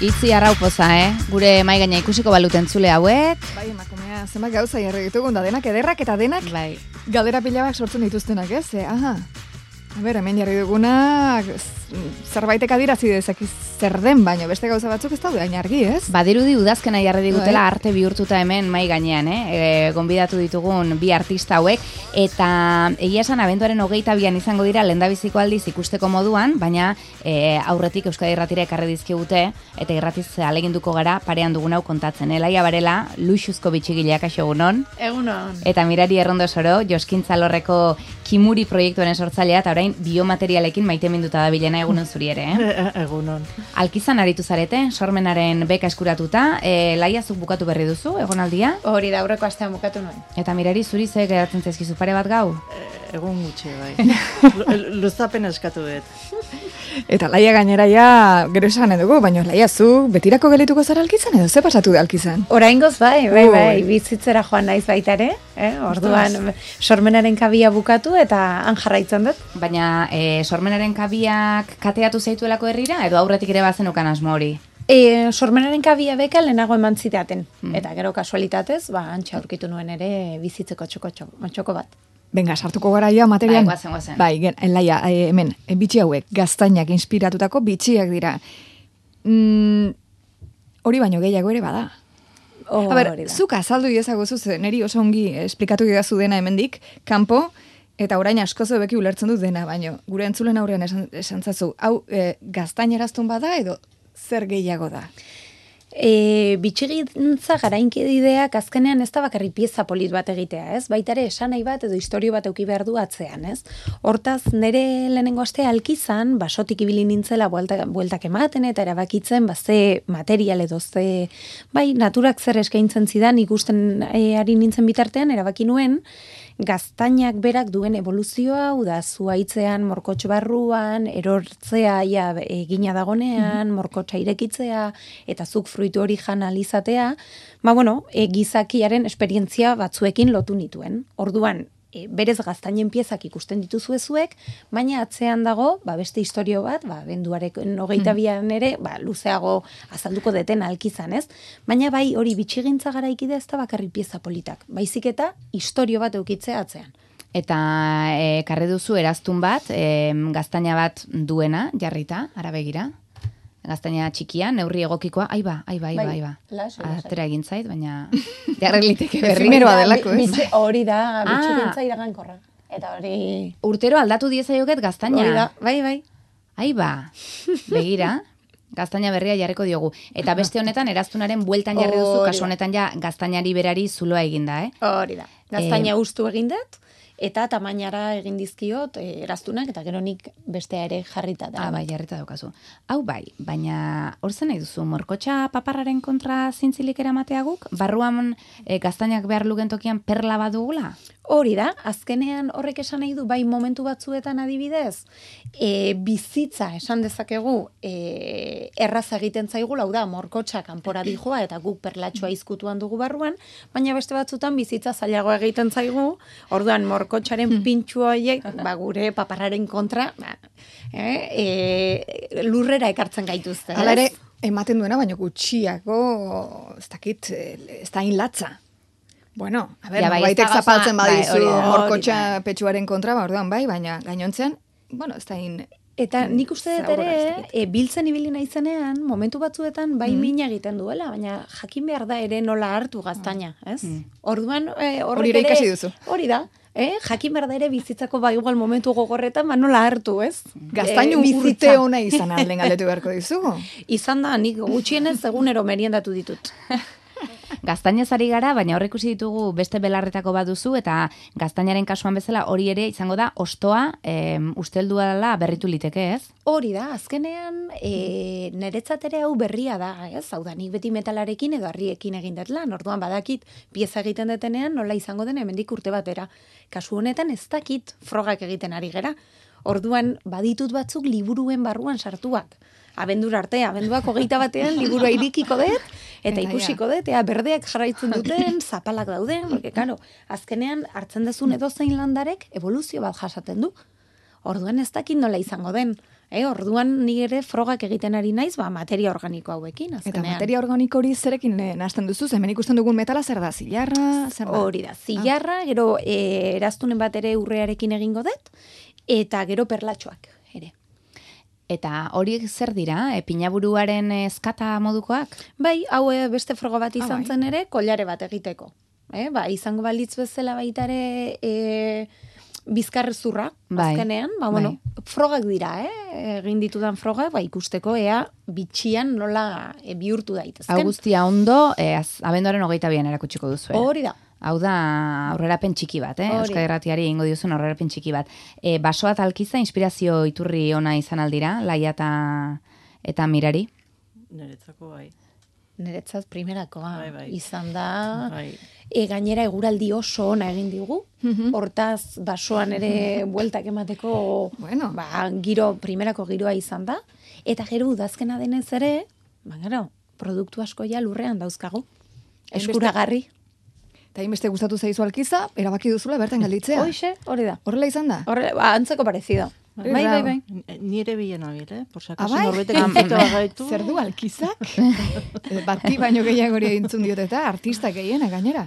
Itzi arraupoza, Gure mai gaina ikusiko baluten zule hauek. Bai, emakumea, zenbat gauza jarri ditugun, da denak ederrak eta denak Bai. galdera pilabak sortzen dituztenak, ez? Aha. A ber, hemen jarri duguna, zerbaitek adirazi dezaki zer den, baino beste gauza batzuk ez daude hain argi, ez? Badirudi udazkena jarri digutela arte bihurtuta hemen mai gainean, gonbidatu ditugun bi artista hauek, eta egia esan abenduaren 22an izango dira lehendabiziko aldiz ikusteko moduan, baina aurretik Euskadi Irratira ekarri dizkigute, eta irratiz aleginduko gara parean dugun hau kontatzen. Laia Barela, luxuzko bitxigileak kaixo egunon. Egunon. Eta Mirari Errondosoro, Joskintza Lorreko Kimuri proiektuaren sortzailea, eta orain biomaterialekin maiteminduta da bilena egunon zuri ere, Egunon. Alkizan aritu zarete, sormenaren beka eskuratuta, Laia zuk bukatu berri duzu, egonaldia? Hori da, aurreko astean bukatu nuen. Eta Mirari zuri ze geratzen zaizkizu pare bat gau? Egun gutxi, bai. Luzapen eskatu dut. Eta Laia gainera ja, gero esan dugu, baina Laia zu betirako gelituko zara Alkizan edo ze pasatu da Alkizan? Oraingoz bai, bizitzera joan naiz baita ere, orduan sormenaren kabia bukatu eta han jarraitzen dut. Baina sormenaren kabiak kateatu zaituelako herrira, edo aurretik ere bazenukan asmo hori? Sormenaren kabia beka lehenago eman zidaten, eta gero kasualitatez, antxe aurkitu nuen ere bizitzeko txoko bat. Benga, sartuko gara ja materian. Bai, guazen. Bai, Laia, hemen, bitxi hauek, gaztainak inspiratutako bitxiak dira. Hori baino gehiago ere bada. A ber, zuk azaldu iezaguzu zen, neri oso ongi esplikatu gidazu dena hemendik, kanpo, eta orain askoz beki ulertzen dut dena, baino, gure entzulen aurrean esan zazu, hau gaztaineraztun bada edo zer gehiago da? Bitxigintza garainkedideak azkenean ez da bakarri pieza polit bat egitea, ez? Baita ere esanai bat edo istorio bat eduki behar du atzean, ez? Hortaz, nire lehenengo astea Alkizan, basotik ibili nintzela bueltak ematen eta erabakitzen, ze material edo ze, naturak zer eskaintzen zidan ikusten ari nintzen bitartean, erabaki nuen, gaztainak berak duen evoluzioa, uda zuaitzean, morkotx barruan, erortzea egina dagonean, morkotxa irekitzea, eta zuk fruitu hori jan alizatea, gizakiaren esperientzia batzuekin lotu nituen. Orduan, berez gaztainen piezak ikusten dituzu ezuek, baina atzean dago, beste historio bat, benduareken 22an ere, luzeago azalduko deten Alkizan, ez? Baina hori bitxigintza garaikide ez da bakarri pieza politak, baizik eta historio bat eukitzea atzean. Eta karri duzu eraztun bat, gaztaina bat duena, jarrita, arabegira? Gaztaina txikia, neurri egokikoa, aiba. Atera egin zait, baina jarreliteke berri. Ezimeroa delako, ez? Hori da, bitxigintza iragankorra. Eta hori... Urtero aldatu diezaioket gaztaina. Hori da, bai. Aiba, begira, gaztaina berria jarriko diogu. Eta beste honetan, eraztunaren bueltan jarri duzu, kasu honetan ja gaztainari berari zuloa eginda, Hori da, gaztaina ustu egindet, eta tamainara egin dizkiot eraztunak, eta gero nik bestea ere jarrita da. Jarrita daukazu. Hau baina hor zen nahi duzu, morkotxa paparraren kontra zintzilik eramatea guk? Barruan gaztainak behar luken tokian perla bat dugula? Hori da, azkenean horrek esan nahi du, momentu batzuetan adibidez, bizitza esan dezakegu erraz egiten zaigula, hau da, morkotxa kanpora dijoa eta guk perlatxoa izkutuan dugu barruan, baina beste batzutan bizitza zailago egiten zaigu, orduan morkotxaren pintxu horiek, gure paparraren kontra, lurrera ekartzen gaituzte. Hala ere, ematen duena, baina gutxiago, ez dakit, ez da inlatza. Bueno, baitek zapaltzen badizu morkotxa petxuaren kontra, orduan baina gainontzean, ez da Eta nik uste dut ere, biltzen ibili naizenean, momentu batzuetan mina egiten duela, baina jakin behar da ere nola hartu gaztaina, ez? Orduan, hori ere ikasi duzu. Hori da, jakin behar da ere bizitzako igual momentu gogorretan, nola hartu, ez? Gaztainu urte ona izan alden galdetu beharko dizugu. Izan da, nik gutxienez egunero meriendatu ditut. Gaztainez ari gara, baina hor ikusi ditugu beste belarretako bat duzu, eta gaztainaren kasuan bezala hori ere izango da ostoa usteldua dela berritu liteke, ez? Hori da, azkenean niretzat ere hau berria da, ez? Hau da, nik beti metalarekin edo harriekin egin dut lan, orduan badakit pieza egiten detenean nola izango den hemendik urte batera. Kasu honetan ez dakit frogak egiten ari gera. Orduan baditut batzuk liburuen barruan sartuak. Abendura arte, abenduak 21 liburua irikiko dut, eta ikusiko dut, berdeak jarraitzen duten, zapalak dauden, porque, azkenean hartzen dezun edozein landarek evoluzio bat jasaten du. Orduan ez dakit nola izango den. Orduan ni ere frogak egiten ari naiz, materia organiko hauekin, azkenean. Eta materia organiko hori zerekin nahasten duzu, hemen ikusten dugun metala zer da, zilarra, zer da? Hori da, zilarra, gero eraztunen bat ere urrearekin egingo dut, eta gero perlatxoak ere. Eta horiek zer dira, pinaburuaren eskata modukoak? Bai, hau beste froga bat izan zen ere, kollare bat egiteko. Izango balitz bezala baita ere bizkarrezurra, azkenean, frogak dira, egin ditudan frogak, ikusteko ea bitxian nola bihurtu daitezken. Hau guztia ondo, abenduaren 22an erakutsiko duzu. Hori da. Hau da aurrerapen txiki bat, Euskadi Irratiari egingo diozun aurrerapen txiki bat. Basoa eta Alkiza inspirazio iturri ona izan aldira, Laia eta Mirari? Niretzako bai. Niretzat primerakoa izan da. Bai. Gainera eguraldi oso ona egin digu. Hortaz basoan ere bueltak emateko primerako giroa izan da. Eta gero udazkena denez ere, produktu asko ja lurrean dauzkagu. Eskuragarri. Eta inbeste gustatu zaizu Alkiza, erabaki duzula bertan galditzea. Hoxe, hori da. Horrela izan da? Antzeko parecido. Bai. Nire bilen abil, por si acaso norbete konfito bagaitu. Zer du Alkizak? Bati baino gehiagori egintzun diot eta artista gehiena gainera.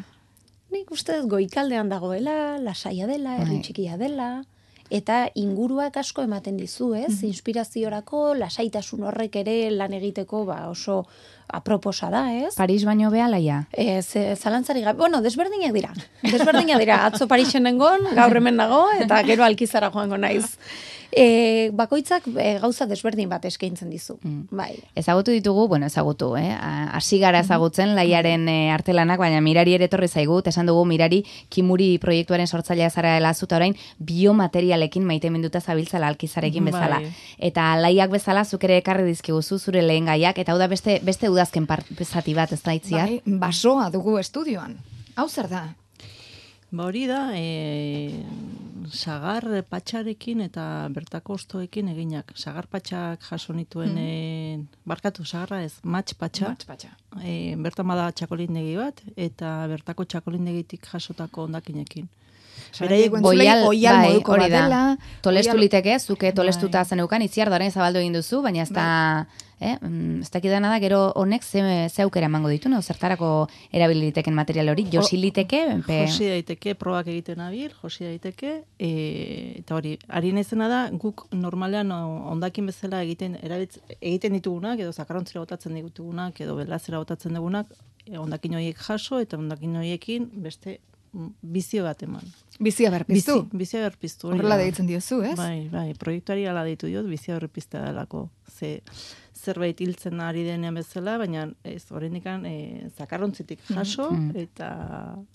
Nik uste goikaldean dagoela, lasaia dela, herri txikia dela, eta inguruak asko ematen dizu, inspiraziorako, lasaitasun horrek ere lan egiteko oso aproposa da, Paris baino beha, Laia? Zalantzari gabe, desberdinak dira. Atzo Parisen nengon, gaur hemen nago, eta gero Alkizara joango naiz. Bakoitzak gauza desberdin bat eskaintzen dizu. Bai. Ezagutu ditugu, hasi gara ezagutzen Laiaren artelanak, baina Mirari ere etorri zaigu, esan dugu Mirari Kimuri proiektuaren sortzailea zara dela zuta orain biomaterialekin maite minduta zabiltzala Alkizarekin bezala. Eta Laiak bezala zuk ere ekarri dizkiguzu zure lehen gaiak, eta hau da beste udazken zati bat, ez da itziar? Bai, basoa dugu estudioan. Hau zer da? Hori da, sagar patxarekin eta bertako ostoekin eginak. Sagar patxak jaso nituen, sagarra ez, matx patxa. Bertan bada txakolindegi bat, eta bertako txakolindegitik jasotako ondakinekin. Oial moduko bat dela. Tolestu liteke, zuke tolestuta zeneukan, itziar doaren zabaldu egin duzu, baina ez da... ez dakidana da, gero honek ze aukera emango ditu, zertarako erabiliteken material hori, josi liteke? Josi daiteke, probak egiten abil, josi daiteke, eta hori, ari nezena da, guk normalean ondakin bezala egiten ditugunak, edo zakarrontzera botatzen ditugunak, edo belazera botatzen dugunak, ondakin horiek jaso, eta ondakin horiekin beste bizio bat eman. Bizia berpiztu? Bizia berpiztu. Horrela deitzen diozu, ez? Bai, proiektuari ala deitu diot, bizia berpiztea delako. Zerbait hiltzen ari denean bezala, baina ez, horrendikan zakarrontzitik jaso, eta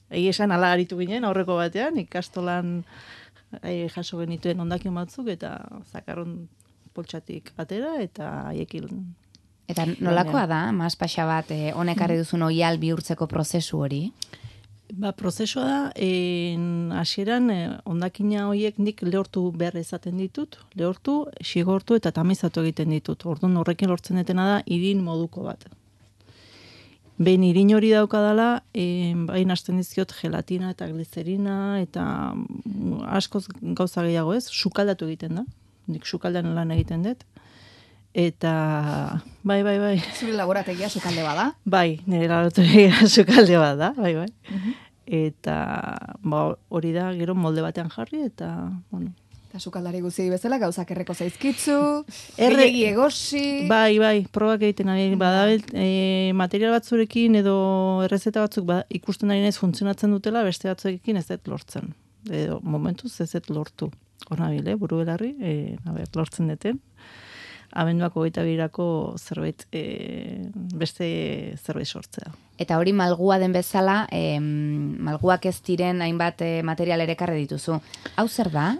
esan ala aritu ginen aurreko batean, ikastolan jaso genituen ondakin batzuk, eta zakarron poltsatik atera, eta haiekin. Eta nolakoa da, mazpaxa bat, honek arri duzun oial bihurtzeko prozesu hori? Prozesua da, hasieran ondakina horiek nik lehortu behar izaten ditut, lehortu, xigortu eta tamizatu egiten ditut. Orduan horrekin lortzen detena da, irin moduko bat. Behin irin hori daukadala, bain hasten dizkiot gelatina eta glicerina, eta askoz gauza gehiago ez, sukaldatu egiten da. Nik sukaldan lan egiten dut. Eta, bai. Zure laborategia sukalde bada? Bai, nire laborategia sukalde bada, bai. Eta, hori da, gero molde batean jarri, eta, Eta sukaldari guzti bezala, gauzak erreko zaizkitzu, gehiagi egosi... Bai, probak egiten ari, material batzurekin edo errezeta batzuk ikusten ari naiz funtzionatzen dutela, beste batzuekin ez dut lortzen. Edo, momentuz ez dut lortu. Hornabil, buru belarri, lortzen deten. Abenduako 22ako zerbait, beste zerbait sortzea. Eta hori malgua den bezala, malguak ez diren hainbat material ere ekarri dituzu. Hau zer da?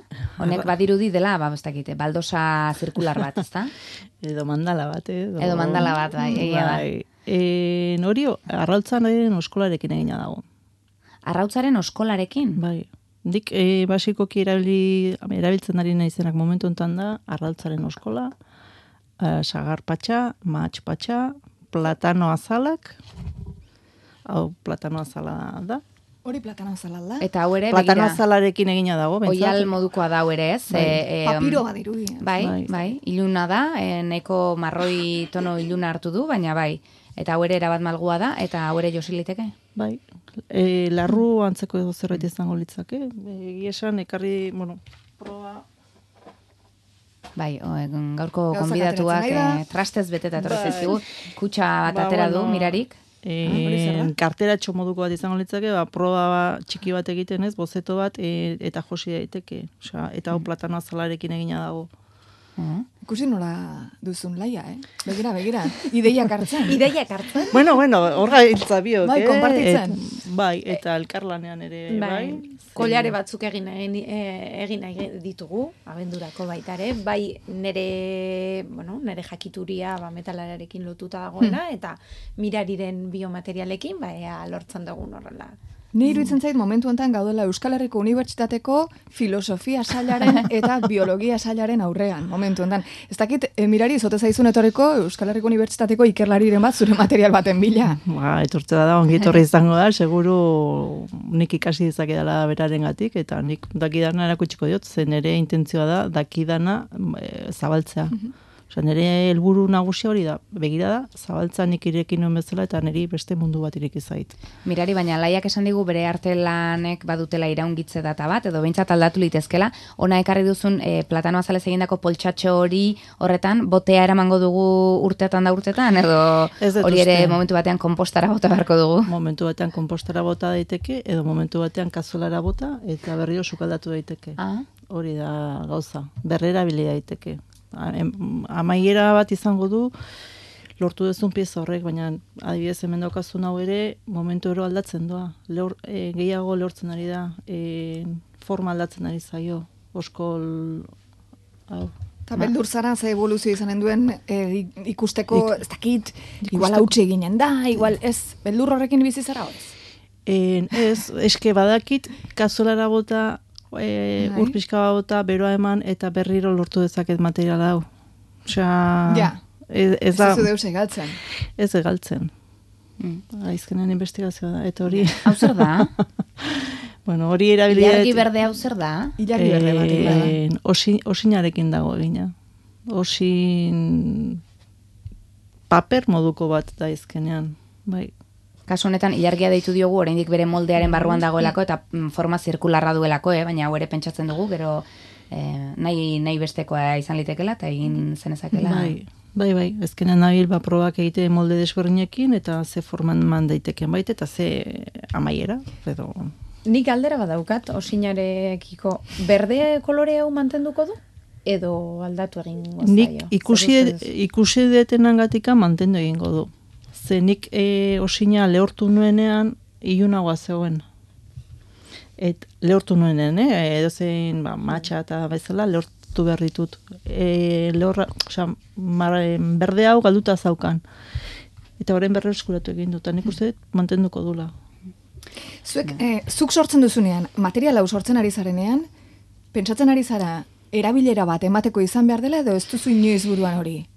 Honek badirudi dela, ez dakite, baldosa zirkular bat, ez da? Edo mandala bat, Edo mandala bat, bai, egia da. Hori, arrautzaren oskolarekin egina dago. Arrautzaren oskolarekin? Bai. Dik basikoki erabiltzen ari naizenak momentu enten da, arrautzaren oskola, sagar patxa, matx patxa, platano azalak, hau platano azala da. Hori platano azala da. Eta hau ere, platano azalarekin egina dago, bentsat. Oial modukoa da hau ere, ez? Papiro badirudi. Bai, iluna da, neko marroi tono iluna hartu du, baina bai. Eta hau ere erabat malgua da, eta hau ere josiliteke? Bai, larru antzeko edo zerbait izango litzake. Esan, ekarri, proba... Bai, gaurko konbidatuak trastez beteta etorretzizkigu, kutsa bat atera du, mirarik. Kartera moduko bat izango litzake, proba txiki bat egiten ez, bozeto bat, eta josi daiteke. Eta hau platano azalarekin egina dago. Ikusi nola duzun laia, Begira. Ideiak hartzen. Bueno, horra hiltza biok, Bai, konpartitzen. Bai, eta elkarlanean ere, bai. Kolare batzuk egin ditugu, abendurako baita ere, bai nere jakituria metalararekin lotuta dagoena, eta mirariren biomaterialekin, lortzen dugun horrela. Ni iruditzen zait momentu honetan gaudela Euskal Herriko Unibertsitateko filosofia sailaren eta biologia sailaren aurrean, momentu honetan. Ez dakit, mirari, zote zaizun etorriko Euskal Herriko Unibertsitateko ikerlariren bat zure material baten bila. Etortze da, ongi etorri izango da, seguru nik ikasi dezakidala berarengatik, eta nik dakidana erakutsiko diot, zen ere intentzioa da, dakidana zabaltzea. Nire helburu nagusia hori da, begira da, zabaltza nik irekin nuen bezala eta niri beste mundu bat ireki zait. Mirari, baina laiak esan digu bere artelanek badutela iraungitze data bat, edo behintzat aldatu litezkela, ona ekarri duzun platano azalez egindako poltsatxo hori horretan, botea eramango dugu urtetan, edo hori ere momentu batean konpostara bota beharko dugu? Momentu batean konpostara bota daiteke, edo momentu batean kazuelara bota, eta berriro sukaldatu daiteke. Hori da gauza, berrera bili daiteke. Amaiera bat izango du lortu duzun pieza horrek, baina adibidez hemen daukazun hau ere momentu ero aldatzen doa. Gehiago lortzen ari da, forma aldatzen ari zaio, oskol hau. Eta beldur zara, ze evoluzio izanen duen ikusteko, ez dakit, igual hautsi eginen da, igual ez, beldur horrekin bizi zara horiz? Ez, eske badakit, kazuelara bota, urpizka bota, beroa eman, eta berriro lortu dezaket materiala hau. Ez da... Ez deus egaltzen. Ez egaltzen. Aizkenen investigazioa da, eta hori... Hau zer da? Bueno, hori erabilia... Ilargi berde hau zer da? Ilargi berde bat. Osinarekin dago egina. Osin... paper moduko bat da aizkenean. Bai. Kasu honetan, ilargia deitu diogu, oraindik bere moldearen barruan dagoelako, eta forma zirkularra duelako, baina hau ere pentsatzen dugu, gero nahi bestekoa izan litekela, eta egin zenezakela. Bai, ezkenen nabil probak egite molde desberdinekin, eta ze forman man daiteken baita, eta ze amaiera, edo... Nik aldera badaukat, osinarekiko berde kolore hau mantenduko du? Edo aldatu egingo zaio? Nik ikusi detenangatika mantendu egingo du. Nik osina lehortu nuenean ilunagoa zegoen. Lehortu nuenean, edo zein matxa eta bezala lehortu behar ditut. Berde hau galduta zaukan. Eta horren berrero eskuratu egin dut, nik uste mantenduko dula. Zuk sortzen duzunean, material hau sortzen ari zarenean, pentsatzen ari zara, erabilera bat emateko izan behar dela, edo ez duzu inoiz buruan hori?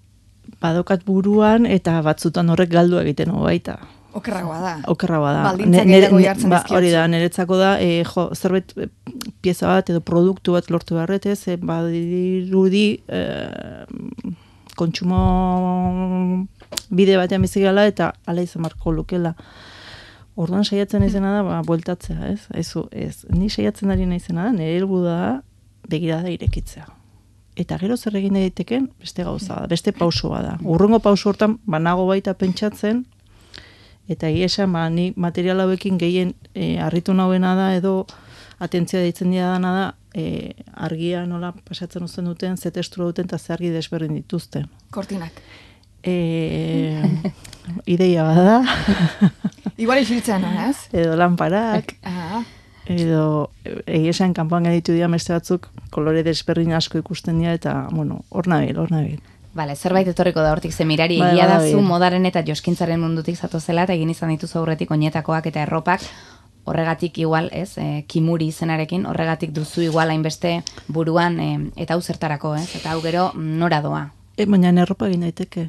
Badokat buruan eta batzutan horrek galdu egiten baita. Okerragoa da. Baldintzak gehiago jartzen dizkiotzu. Hori da, niretzako da, zerbait pieza bat edo produktu bat lortu beharretez, badirudi kontsumo bide batean bizigala eta ala izan marko lukela. Orduan saiatzen izena da, bueltatzea, ez. Ni saiatzen ari naizena da, nire helburu da begirada irekitzea. Eta gero zer egin daiteken beste gauza da, beste pausoa da. Urrengo pauso hortan banago baita pentsatzen, eta egia esan, ni material hauekin gehien harritu nauena da, edo atentzia deitzen didana da, argia nola pasatzen uzten duten, ze testura duten, eta ze argi desberdin dituzten. Kortinak. Ideia bada. Igual isiltzen, ez? Edo lanparak. Edo esan kanpoan gaitu dira beste batzuk kolore desberdin asko ikusten dira eta, hor nabil. Bale, zerbait etorriko da hortik zemirari, egia da zu modaren eta joskintzaren mundutik zatozela eta egin izan dituzu aurretik oinetakoak eta erropak, horregatik igual, kimuri izenarekin, horregatik duzu igual hainbeste buruan eta hau zertarako, eta hau gero nora doa. Baina erropa egin daiteke.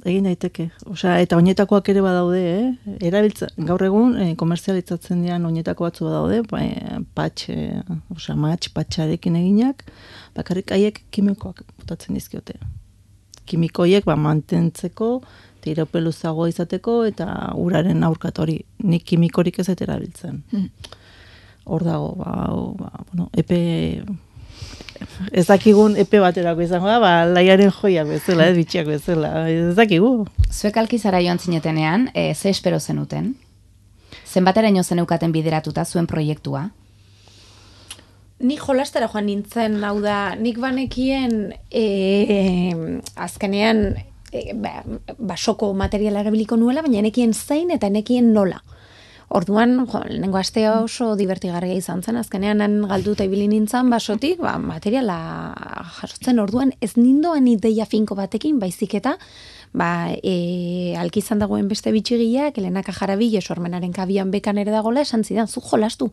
Egin daiteke. Eta oinetakoak ere badaude, gaur egun, komerzialitzatzen dian oinetako batzu badaude, patxarekin eginak, bakarrik haiek kimikoak botatzen dizkiote. Kimikoiek mantentzeko, iraupeluzagoa izateko, eta uraren aurkatori. Nik kimikorik ez erabiltzen. Hor dago, epe... Ez dakigun epe baterako izango da, laiaren joiak bezala, bitxiak bezala, ez dakigu. Zuek Alkizara joan zinetenean, ze espero zenuten? Zenbateraino zeneukaten bideratuta zuen proiektua? Ni jolastera joan nintzen, hau da, nik banekien azkenean basoko materiala erabiliko nuela, baina nekien zein eta nekien nola. Orduan, lehenengo astea oso divertigarria izan zen, azkenean galduta ibili nintzen basotik, materiala jasotzen orduan, ez nindoan ideia finko batekin, baizik eta, Alkizan dagoen beste bitxigiak, Elenaka Jarabile sormenaren kabian bekan ere dagoela, esan zidan, zu jolastu.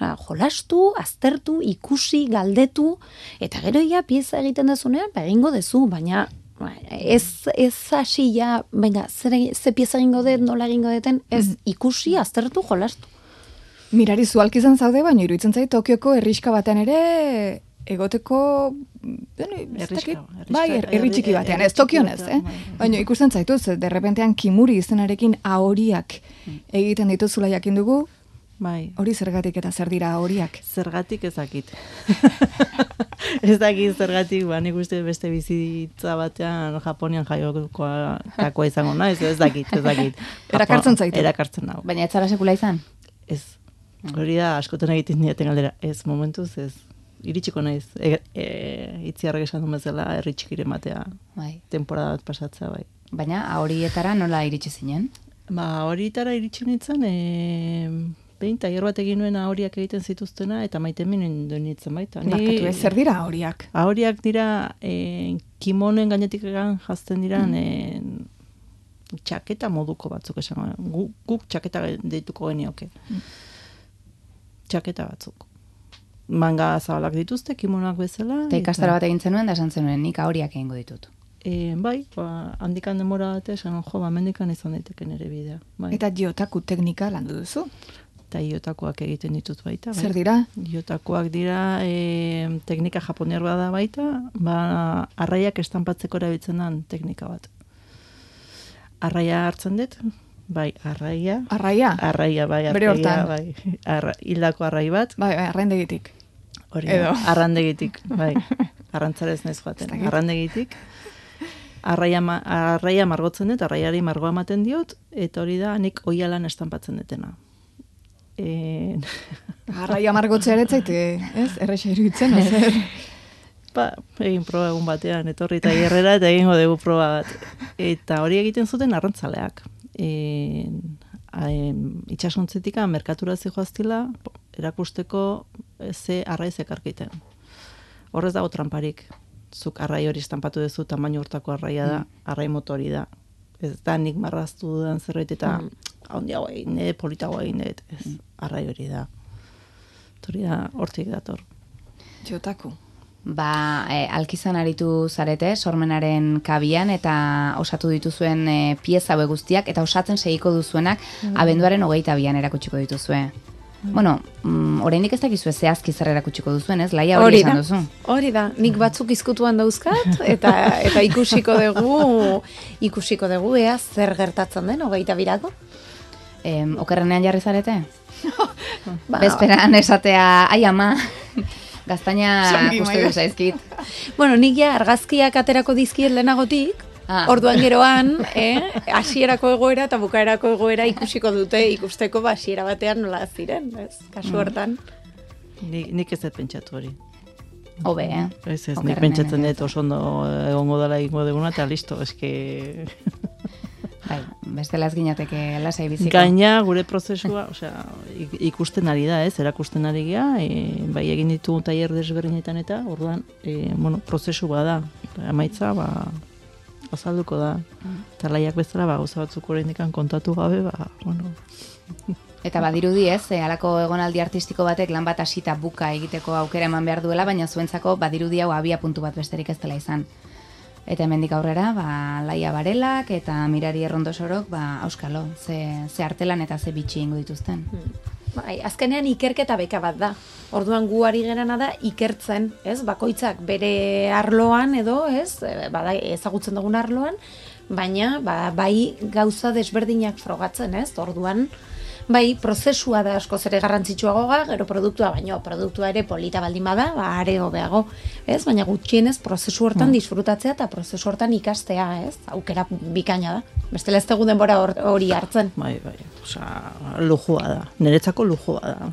Jolastu, aztertu, ikusi, galdetu, eta gero ia pieza egiten dezunean, egingo dezu, baina ez hasi ja, venga, ze pieza egingo dut, nola egingo duten, ez ikusi, aztertu, jolastu. Mirari zu Alkizan zaude, baina iruditzen zait Tokioko herrixka batean ere egoteko herri txiki batean, ez Tokion ez, baina ikusten zaituz, derrepentean Kimuri izenarekin ahoriak egiten dituzula jakin dugu, hori zergatik eta zer dira ahoriak? Zergatik ezakit. Ez dakit zergatik, nik uste beste bizitza batean Japonian jaiokoa izango naiz, ez dakit. Erakartzen zaitu? Erakartzen nago. Baina ez zara sekula izan? Ez. Hori da, askotan egiten dieten galdera. Ez, momentuz ez. Iritsiko naiz. Itziarrek esan duen bezala, herri txikiren batea. Temporada bat pasatzea, bai. Baina, horietara nola iritsi zinen? Horietara iritsi nintzen, behin tailer bat egin nuen ahoriak egiten zituztena, eta maitemen duen nintzen baita. Barkatu ez, zer dira ahoriak? Ahoriak dira, kimonoen gainetik jazten dira, txaketa moduko batzuk esan. Guk txaketa deituko genioke. Txaketa batzuk. Manga zabalak dituzte, kimonoak bezala. Eta ikastara bat egin zenuen, da esan zenuen, nik ahoriak egingo ditut. Bai, handikan denbora bat esan, mendikan izan daiteken ere bidea. Eta Gyotaku teknika landu duzu? Eta Gyotakuak egiten ditut baita. Zer dira? Gyotakuak dira teknika japoniar bada baita, arraiak estanpatzeko erabiltzen den teknika bat. Arraia hartzen dut, bai, arraia. Arraia? Arraia, bai, arraia. Bere hortan? Bai, hildako arrai bat. Bai, arrandegitik. Hori, arrandegitik, bai. Arrantzarez naiz joaten, arrandegitik. Arraia margotzen dut, arraiari margoa ematen diot, eta hori da nik oialan estanpatzen dutena. Arraia margotzea ere zaite, ez? Erresa iruditzen, ozer? Egin proba egun batean, etorri eta gerrera, eta egingo dugu proba bat. Eta hori egiten zuten arrantzaleak. Itxasontzetika merkatura zijoaztila, erakusteko ze arrai zekarkiten. Horrez dago tramparik. Zuk arrai hori estampatu duzu, tamaino hortako arraia da, arrai motori da. Ez da nik marraztu dudan zerbait eta handiago egin, politago egin dut. Arrai hori da. Hori da, hortik dator. Gyotaku. Alkizan aritu zarete, sormenaren kabian, eta osatu dituzuen pieza hauek guztiak, eta osatzen segiko duzuenak, abenduaren 22an erakutsiko dituzue. Bueno, oraindik ez dakizu zehazki zer erakutsiko duzuen, ez? Laia hori esan duzu. Hori da, nik batzuk izkutuan dauzkat, eta ikusiko dugu ea zer gertatzen den 22ako. Okerrenean jarri zarete? Bezperan esatea, ai ama, gaztaina uste du zaizkit. Bueno, nik ja argazkiak aterako dizkiet lehenagotik, orduan geroan, hasierako egoera eta bukaerako egoera ikusiko dute, ikusteko hasiera batean nola ziren, kasu hortan. Nik ez dut pentsatu hori. Hobe, Ez, nik pentsatzen dut oso ondo egongo dela egingo duguna, eta listo, eske... Bai, bestela ez ginateke lasai biziko. Gaina gure prozesua, ikusten ari da, erakusten ari gea, bai egin ditugu tailer desberdinetan eta, orduan, prozesu bada, amaitza, azalduko da. Eta laiak bezala, gauza batzuk oraindik kontatu gabe, Eta badirudi ez, halako egonaldi artistiko batek lan bat hasita buka egiteko aukera eman behar duela, baina zuentzako badirudi hau abia puntu bat besterik ez dela izan. Eta hemendik aurrera, Laia Barelak eta Mirari Errondosorok, auskalo, ze artelan eta ze bitxi ingo dituzten. Bai, azkenean ikerketa beka bat da. Orduan gu ari gerana da ikertzen, ez? Bakoitzak bere arloan edo, ez? Ezagutzen dugun arloan, baina bai gauza desberdinak frogatzen, ez? Orduan, bai, prozesua da askoz ere garrantzitsuagoa, gero produktua, baino produktua ere polita baldin bada, are hobeago, ez? Baina gutxienez prozesu hortan disfrutatzea eta prozesu hortan ikastea, ez? Aukera bikaina da. Bestela ez dugu denbora hori hartzen. Bai, lujua da. Niretzako lujua da.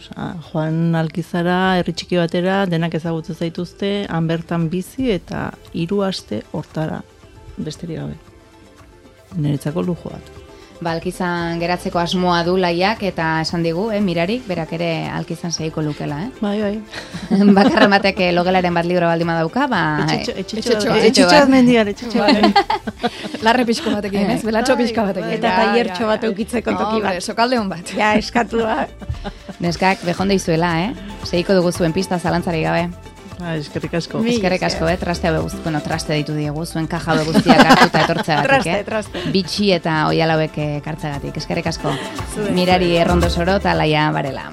Joan Alkizara, herri txiki batera, denak ezagutzen zaituzte, han bertan bizi eta 3 aste hortara besterik gabe. Niretzako lujua da. Alkizan geratzeko asmoa du Laiak eta esan digu, Mirarik, berak ere Alkizan segiko lukela, Bai. Bakarren batek logelaren bat libro baldin badauka, etxetxo mendian. Larre pixko batekin, ez? Belatxo pixko batekin. Eta taiertxo bat eukitzeko toki bat. Sokalde hon bat. Ja, eskatua. Neskak, behonde izuela, Segiko dugu zuen pista zalantzari gabe. Eskerrik asko. Eskerrik asko, traste ditu diegu, zuen kaja guztiak hartuta etortzeagatik, Traste. Bitxi eta oialauek kartzeagatik. Eskerrik asko. Mirari Errondosoro eta Laia Barela.